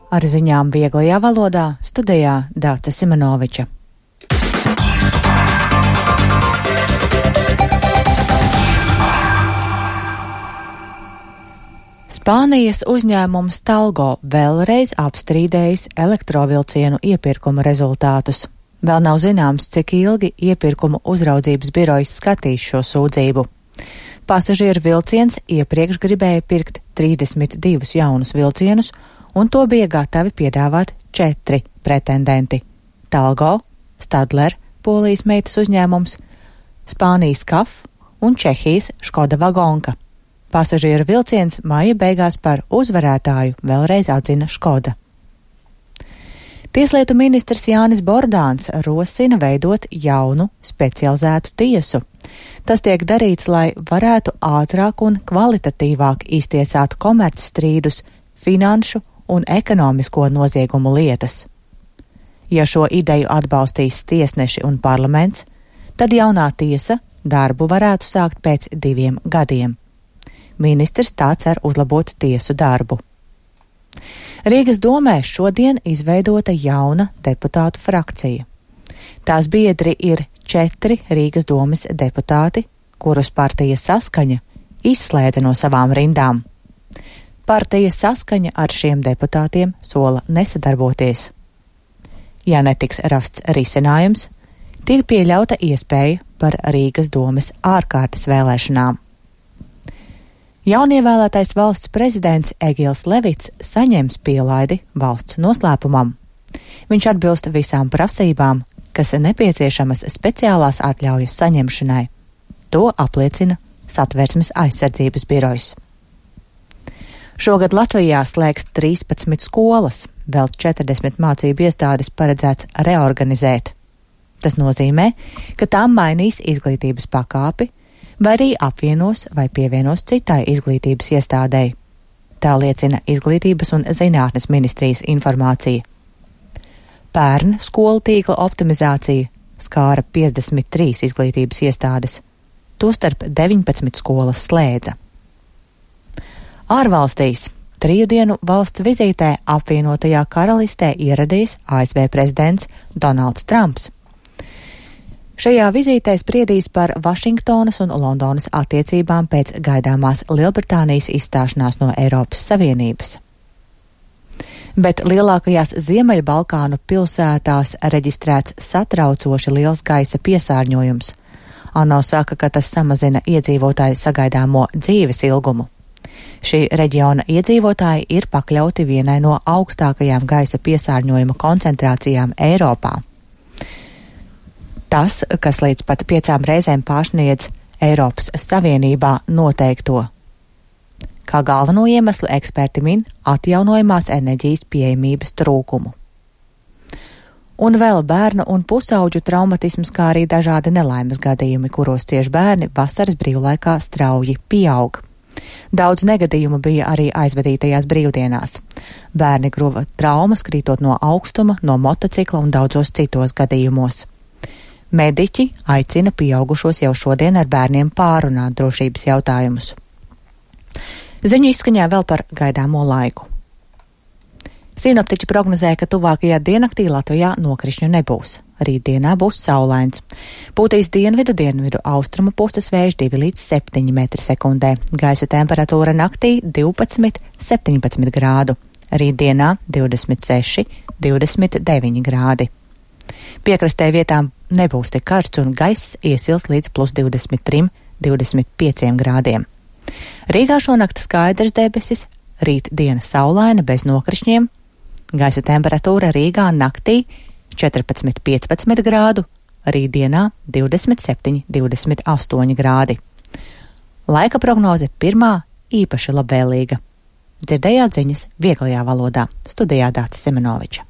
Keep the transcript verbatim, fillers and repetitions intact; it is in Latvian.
Ar ziņām vieglajā valodā studijā Dāce Simonoviča. Spānijas uzņēmums Talgo vēlreiz apstrīdējis elektrovilcienu iepirkuma rezultātus. Vēl nav zināms, cik ilgi iepirkuma uzraudzības birojs skatīs šo sūdzību. Pasažieru vilciens iepriekš gribēja pirkt trīsdesmit divus jaunus vilcienus, un to bija gatavi piedāvāt četri pretendenti – Talgo, Stadler, Polijas meitas uzņēmums, Spānijas K A F un Čehijas Škoda Vagonka. Pasažieru vilciens maija beigās par uzvarētāju vēlreiz atzina Škoda. Tieslietu ministrs Jānis Bordāns rosina veidot jaunu specializētu tiesu. Tas tiek darīts, lai varētu ātrāk un kvalitatīvāk iztiesāt komercstrīdus, finanšu un ekonomisko noziegumu lietas. Ja šo ideju atbalstīs tiesneši un parlaments, tad jaunā tiesa darbu varētu sākt pēc diviem gadiem. Ministrs tā cer uzlabot tiesu darbu. Rīgas domē šodien izveidota jauna deputātu frakcija. Tās biedri ir četri Rīgas domes deputāti, kurus partija Saskaņa izslēdza no savām rindām. Partija Saskaņa ar šiem deputātiem sola nesadarboties. Ja netiks rasts risinājums, tiek pieļauta iespēja par Rīgas domes ārkārtas vēlēšanām. Jaunievēlētais valsts prezidents Egils Levits saņems pielaidi valsts noslēpumam. Viņš atbilst visām prasībām, kas nepieciešamas speciālās atļaujas saņemšanai. To apliecina Satversmes aizsardzības birojs. Šogad Latvijā slēgs trīspadsmit skolas, vēl četrdesmit mācību iestādes paredzēts reorganizēt. Tas nozīmē, ka tām mainīs izglītības pakāpi, vai arī apvienos vai pievienos citai izglītības iestādei. Tā liecina Izglītības un zinātnes ministrijas informācija. Pērn skolu tīkla optimizācija skāra piecdesmit trīs izglītības iestādes, tostarp deviņpadsmit skolas slēdza. Ārvalstīs triju dienu valsts vizītē apvienotajā karalistē ieradies A S V prezidents Donalds Trumps. Šajā vizītē spriedīs par Vašingtonas un Londonas attiecībām pēc gaidāmās Lielbritānijas izstāšanās no Eiropas Savienības. Bet lielākajās Ziemeļbalkānu pilsētās reģistrēts satraucoši liels gaisa piesārņojums. ANO saka, ka tas samazina iedzīvotāju sagaidāmo dzīves ilgumu. Šī reģiona iedzīvotāji ir pakļauti vienai no augstākajām gaisa piesārņojuma koncentrācijām Eiropā. Tas, kas līdz pat piecām reizēm pārsniedz Eiropas Savienībā noteikto. Kā galveno iemeslu eksperti min atjaunojamās enerģijas pieejamības trūkumu. Un vēl bērnu un pusauģu traumatisms, kā arī dažādi nelaimes gadījumi, kuros cieši bērni vasaras brīvlaikā strauji pieaug. Daudz negadījumu bija arī aizvadītajās brīvdienās. Bērni guva traumas, krītot no augstuma, no motocikla un daudzos citos gadījumos. Mediķi aicina pieaugušos jau šodien ar bērniem pārunāt drošības jautājumus. Ziņu izskaņā vēl par gaidāmo laiku. Sinoptiķi prognozē, ka tuvākajā diennaktī Latvijā nokrišņu nebūs. Rītdienā būs saulains. Pūtīs dienvidu dienvidu austrumu puses vējš divi līdz septiņi metri sekundē. Gaisa temperatūra naktī divpadsmit līdz septiņpadsmit grādu. Rītdienā divdesmit seši līdz divdesmit deviņi grādi. Piekrastē vietām nebūs tik karsts un gaiss iesils līdz plus divdesmit trim līdz divdesmit pieciem grādiem. Rīgā šonakt skaidrs debesis, rīt diena saulaina bez nokrišņiem. Gaisa temperatūra Rīgā naktī četrpadsmit līdz piecpadsmit grādu, rītdienā divdesmit septiņi līdz divdesmit astoņi grādi. Laika prognoze pirmā īpaši labvēlīga. Dzirdējāt ziņas vieglajā valodā. Studijā Dāce Simonoviča.